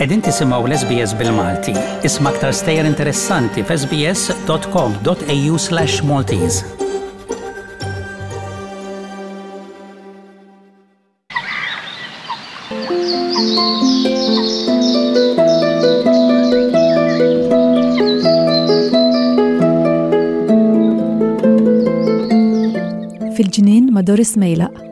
Qegħdin tisimgħu l-SBS bil-Malti. Isma' aktar stejjer interessanti f'sbs.com.au/Maltese. Fil-ġnien ma' Doris Mejlaq.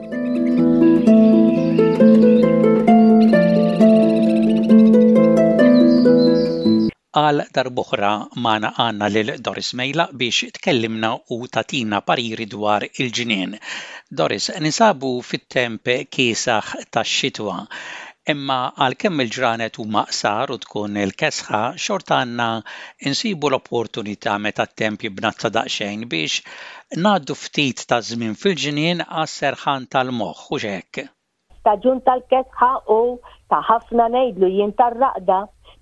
Għal darb'oħra magħna għandna lil Doris Mejlaq biex tkellimna u tagħtina pariri dwar il-ġnien. Doris, ninsabu fit-temp kiesaħ tax-xitwa. Imma għalkemm il-ġranet huma qsar u tkun il-kesħa, xorta għandna nsibu l-opportunità meta t-temp jibnazza daqsxejn biex ngħaddu ftit ta' żmien fil-ġnien għas-serħan tal-moħħ, hux hekk? Staġun tal-kesħa u ta' ħafna ngħidlu jien tar-raqda,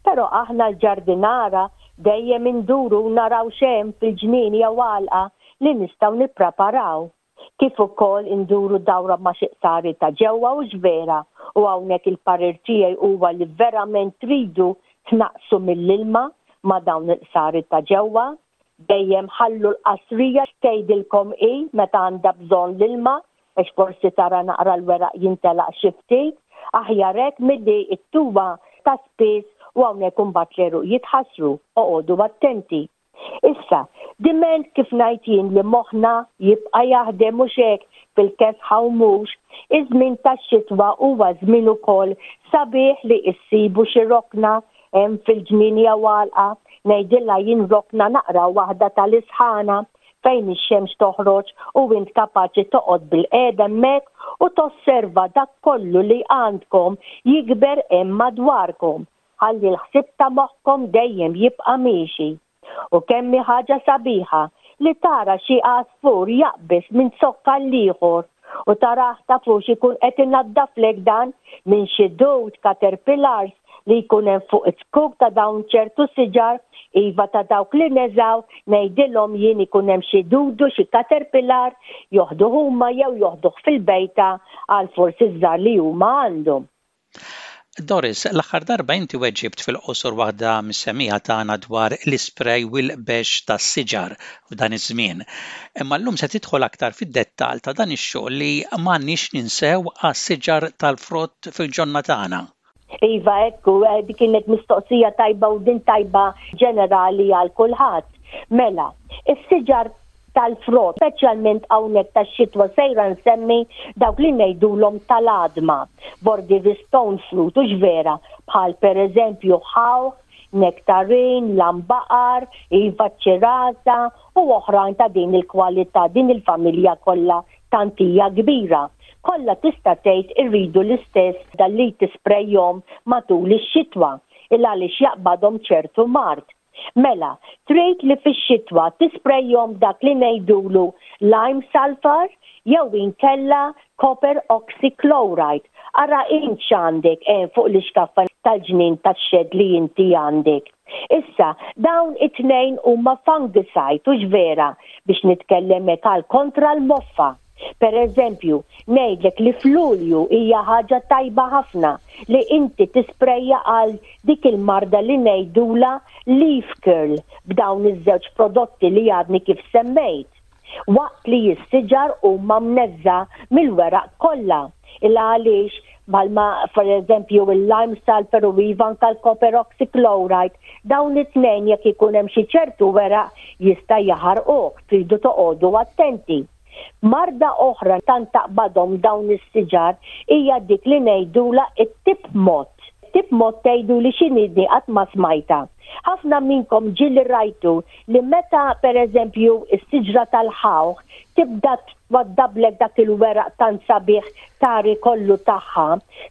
però aħna l-ġardinara dejjem induru u naraw x'hemm fil-ġnien jew għalqa li nistgħu nippreparaw. Kif ukoll induru dawra ma' xi qsari ta' ġewwa hux vera u hawnhekk il-parir tiegħi huwa li verament tridu tnaqqsu mill-ilma ma' dawn il-qsari ta' ġewwa. Dejjem ħallu l-qasrija tgħidilkom hi meta għandha bżonn l-ilma għax forsi tara naqra l-weraq jintelaq xi ftit, aħjar hekk milli ttuha ta' spiss u hawnhekk imbagħad l-għeruq jitħassru, oqogħdu attenti. Issa, diment kif ngħid jien li moħħna jibqa' jaħdem mhux hekk fil-kesħa u mhux, iż-żmien tax-xitwa huwa żmien ukoll sabiħ li issibu xi rokna Hemm fil-ġnien jew għalqa, ngħidilha jien rokna naqra waħda tal-isħana fejn ix-xemx toħroġ u int kapaċi toqgħod bilqiegħda hemmhekk u tosserva dak kollu li għandkom jikber hemm madwarkom. Ħalli l-ħsieb ta' moħħkom dejjem jibqa' miexi. U kemm hi ħaġa sabiħa li tara xi għasfur jaqbeż minn zokk għall-ieħor u tarah tafux ikun qed inaddaflek dan minn xi dud caterpillars li jkun hemm fuq iz-zkuk ta' dawn ċertu siġar, iva ta' dawk li neżgħu, ngħidilhom jien ikun hemm xi dudu, xi caterpillar, joħduh huma jew joħduh fil-bejta għal forsi ż-żgħar li huma għandhom. Doris, l-aħħar darba inti weġibt fil-qosor waħda mis-semmiegħa tagħna dwar l-ispray u l-bexx tas-siġar f'dan iż-żmien. Imma llum se tidħol aktar fid-dettall ta' dan ix-xogħol li m'għandniex ninsew għas-siġar tal-frott fil-ġonna tagħna. Iva, hekk hu, dik kienet mistoqsija tajba u din tajba ġenerali għal kulħadd. Mela, is-siġar tal-frott, speċjalment hawnhekk tax-xitwa sejra nsemmi dawk li ngħidulhom tal-għadma, bordieri stone fruit, hux vera, bħal pereżempju ħawħ, nektarin, lambaqar, iva ċ-ċirasa u oħrajn ta' din il-kwalità, din il-familja kollha tant hija kbira. Kollha tista' tgħid irridu l-istess dalli tisprejhom matul ix-xitwa, il għaliex jaqbadhom ċertu mard. Mela, trid li fix-xitwa tisprejhom dak li ngħidulu lime sulphur jew inkella copper oxychloride. Ara int x'għandek hemm fuq l-ixkaffa tal-ġnien tax-xedd li inti għandek. Issa, dawn it-tnejn huma fungicide, hux vera, biex nitkellem hekk għal kontra l-moffa. Per eżempju, ngħidlek li f'Lulju hija ħaġa tajba ħafna li inti tisprejja għal dik il-marda li ngħidulha leaf curl b'dawn iż-żewġ prodotti li għadni kif semmejt. Waqt li s-siġar huma mneżża' mill-weraq kollha. Il għaliex bħalma per eżempju il-lime sulfur u iva anka l-copper oxychloride, dawn it-tnejn jekk ikun hemm xi ċertu weraq jista' jaħarquh, tridu toqogħdu attenti. Marda oħra tant taqbadhom dawn is-siġar hija dik li ngħidulha t-tip mott. Tip mott tgħiduli x'inhi di qatt ma smajtha. Ħafna minnkom ġieli rajtu li meta pereżempju s-siġra tal-ħawħ tibda twaddablek dak il-weraq tant sabiħ tari kollu tagħha,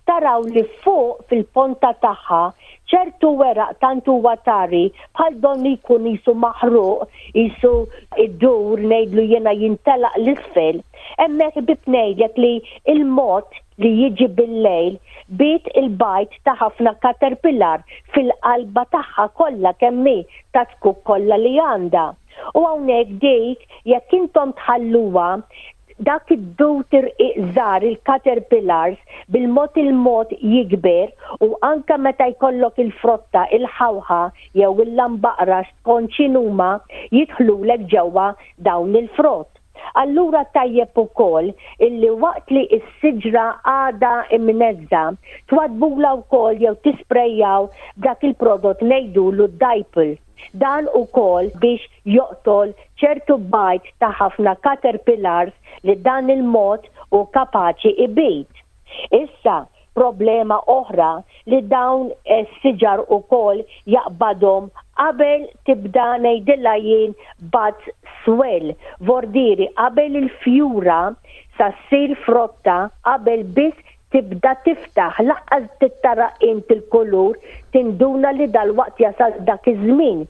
taraw li fuq fil-ponta tagħha ċertu weraq tant huwa tari bħal donnu jkun qisu maħruq, qisu jdur ngħidlu jiena jintelaq 'l isfel. Hemmhekk ħbieb ngħidlek li l-mod li jiġi bil-lejl biet il-bajd ta' ħafna caterpillar fil-qalba tagħha kollha kemm hi taz-zkuk kollha li għandha. U hawnhekk dik jekk intom tħalluha. Dak id-dud irqiq żgħar il-caterpillars bil-mod il-mod jikber u anke meta jkollok il-frotta, il-ħawħa jew il-lambaqra skont x'inhuma jidħlulek ġewwa dawn il-frott. Allura tajjeb ukoll illi waqt li s-siġra għadha imneżża twaddbulha wkoll jew tisprejjaw b'dak il-prodott ngħidulu d-dipel. Dan ukoll biex joqtol ċertu bajd ta' ħafna caterpillars li dan il-mod hu kapaċi ibid. Issa, problema oħra li dawn is-siġar ukoll jaqbadhom qabel tibda ngħidilha jien buds swell, vordieri qabel il-fjura sa ssir frotta qabel biss tibda tiftaħ, lanqas tara int il-kulur, tinduna li dalwaqt jasal dak iż-żmien.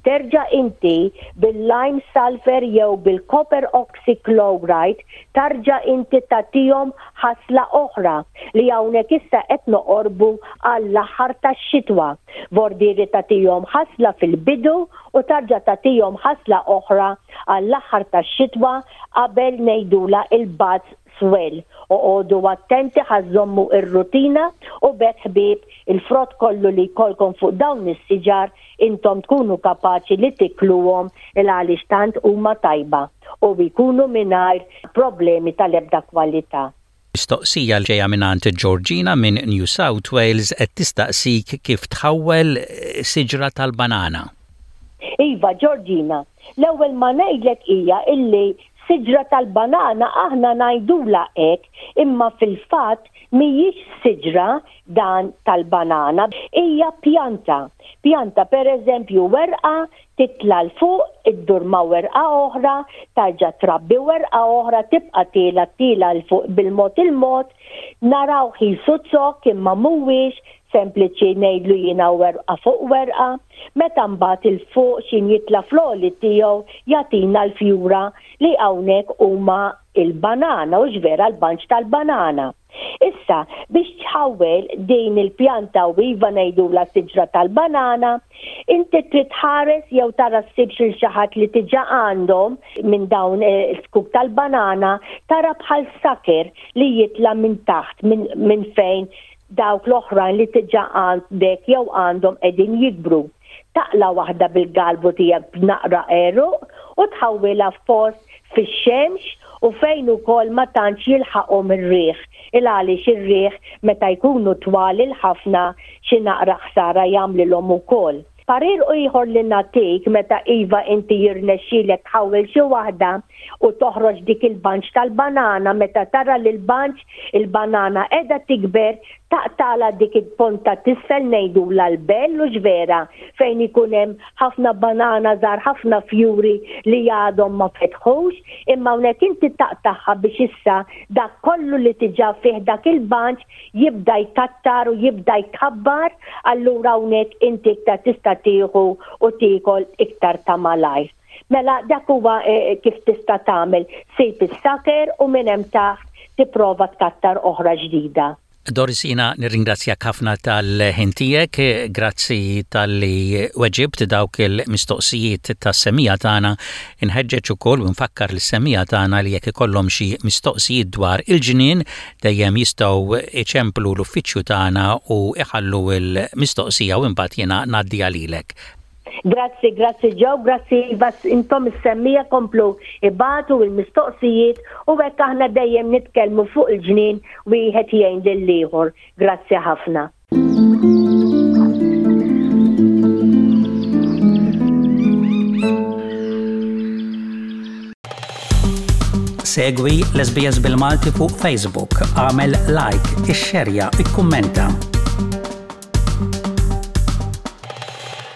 Terġa' inti bil-lime sulphur jew bil-copper oxychloride tarġa' inti tagħtihom ħasla oħra li hawnhekk issa qed noqorbu għall-aħħar tax-xitwa. Vordieri tagħtihom ħasla fil-bidu u tarġa' tagħtihom ħasla oħra għall-aħħar tax-xitwa qabel ngħidulha il-buds swell. Oqogħdu attenti ħa żżommu r-rutina u b'hekk ħbieb il-frott kollu li jkollkom fuq dawn is-siġar intom tkunu kapaċi li tikluhom il għaliex tant huma tajba u jkunu mingħajr problemi tal-ebda kwalità. Mistoqsija ġejja mingħand Georgina minn New South Wales qed tistaqsik kif tħawwel siġra tal-banana. Iva Georgina, l-ewwel ma ngħidlek hija illi Siġra tal-banana aħna ngħidulha hekk imma fil-fatt mhijiex siġra dan tal-banana, hija pjanta. Pjanta pereżempju werqa titla' 'l fuq, iddur ma' werqa oħra, tarġa' trabbi werqa oħra, tibqa' tiela' tiela' 'l fuq bil-mod il-mod, narawh qisu zokk imma mhuwiex, sempliċi ngħidlu jiena werqa fuq werqa, meta mbagħad 'il fuq x'in jitla' fl-għoli tiegħu jagħtina l-fjura li hawnhekk huma l-banana, hux vera l-banċ tal-banana. Issa, biex tħawwel din il-pjanta u iva ngħidulha siġra tal-banana, inti trid tħares jew tara ssibx lil xi ħadd li diġà għandhom minn dawn is-zkuk tal-banana, tara bħal sucker li jitla' minn taħt minn fejn Dawk l-oħrajn li diġà għandek jew għandhom qegħdin jikbru. Taqla' waħda bil-galbu tiegħek b'naqra għeruq u tħawwilha f'post fix-xemx u fejn ukoll ma tantx jilħaqhom ir-riħ, il-għaliex ir-riħ meta jkunu twal il-ħafna xi naqra ħsara jagħmlilhom ukoll. Parir ieħor li nagħtik meta iva inti jirnexxilek tħawwel xi waħda u toħroġ dik il-bunch tal-banana meta tara li l-bunch il-banana qiegħda tikber taqtagħlha dik il-ponta t'isfel ngħidulha l-bell hux vera fejn ikun hemm ħafna banana żgħar ħafna fjuri li għadhom ma fetħux imma hawnhekk inti taqtagħha biex issa dak kollu li diġà fih dak il-bunch jibda jkattar u jibda jkabbar, allura hawnhekk inti iktar tista' tieħu u tiekol iktar ta' malajr. Mela dak huwa eh, kif tista' tagħmel, sib is-saker u minn hemm taħt tipprova tkattar oħra ġdida. Doris jiena nirringrazzjak ħafna tal-ħin tiegħek, grazzi talli weġibt dawk il-mistoqsijiet tas-semmiegħa tagħna. Inħeġġeġ ukoll u nfakkar lis-semmiegħa tagħna li jekk ikollhom xi mistoqsijiet dwar il-ġnien, Dejjem jistgħu jċemplu l-uffiċċju tagħna u jħallu l-mistoqsija u imbagħad jiena ngħaddiha lilek. Grazzi, grazzi Joe, grazzi Iva, intom is-semmiegħa komplu ibagħtu l-mistoqsijiet u hekk aħna dejjem nitkellmu fuq il-ġnien wieħed jgħin lill-ieħor. Grazzi ħafna. Segwi l-SBS bil-Malti fuq Facebook, għamel like, ixxerja, ikkummenta.